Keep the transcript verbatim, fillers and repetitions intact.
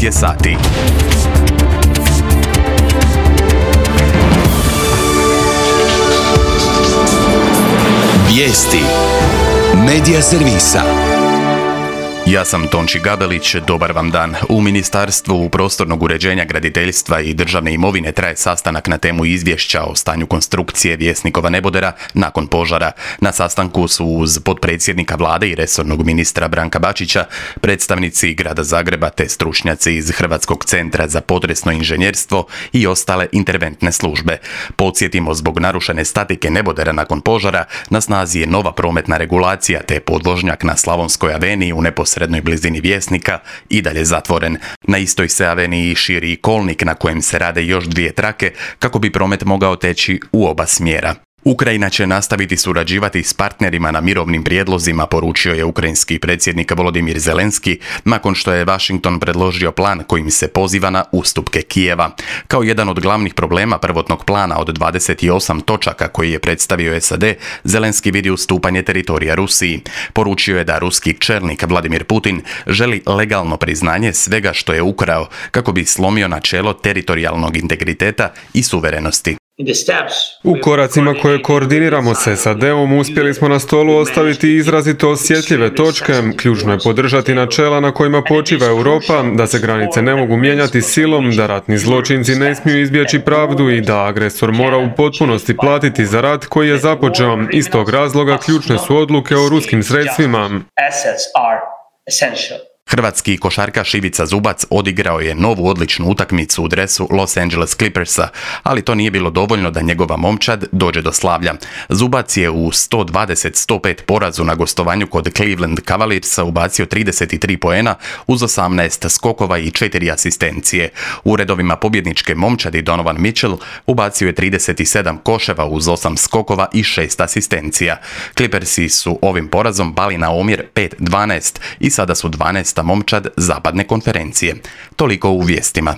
je sati. Vijesti Medija servisa. Ja sam Tonči Gabelić, dobar vam dan. U Ministarstvu prostornog uređenja, graditeljstva i državne imovine traje sastanak na temu izvješća o stanju konstrukcije Vjesnikova nebodera nakon požara. Na sastanku su uz potpredsjednika vlade i resornog ministra Branka Bačića, predstavnici grada Zagreba te stručnjaci iz Hrvatskog centra za potresno inženjerstvo i ostale interventne službe. Podsjetimo, zbog narušene statike nebodera nakon požara na snazi je nova prometna regulacija te podvožnjak na Slavonskoj aveniji u neposrednoj srednoj blizini Vjesnika i dalje zatvoren. Na istoj se aveniji širi i kolnik na kojem se rade još dvije trake kako bi promet mogao teći u oba smjera. Ukrajina će nastaviti surađivati s partnerima na mirovnim prijedlozima, poručio je ukrajinski predsjednik Volodimir Zelenski nakon što je Washington predložio plan kojim se poziva na ustupke Kijeva. Kao jedan od glavnih problema prvotnog plana od dvadeset osam točaka koji je predstavio S A D, Zelenski vidi ustupanje teritorija Rusiji. Poručio je da ruski čelnik Vladimir Putin želi legalno priznanje svega što je ukrao kako bi slomio načelo teritorijalnog integriteta i suverenosti. U koracima koje koordiniramo s S A D-om uspjeli smo na stolu ostaviti izrazito osjetljive točke. Ključno je podržati načela na kojima počiva Europa, da se granice ne mogu mijenjati silom, da ratni zločinci ne smiju izbjeći pravdu i da agresor mora u potpunosti platiti za rat koji je započeo. Iz tog razloga ključne su odluke o ruskim sredstvima. Hrvatski košarkaš Ivica Zubac odigrao je novu odličnu utakmicu u dresu Los Angeles Clippersa, ali to nije bilo dovoljno da njegova momčad dođe do slavlja. Zubac je u sto dvadeset sto pet porazu na gostovanju kod Cleveland Cavaliersa ubacio trideset tri poena uz osamnaest skokova i četiri asistencije. U redovima pobjedničke momčadi Donovan Mitchell ubacio je trideset sedam koševa uz osam skokova i šest asistencija. Clippersi su ovim porazom pali na omjer pet dvanaest i sada su dvanaesta momčad zapadne konferencije. Toliko u vijestima.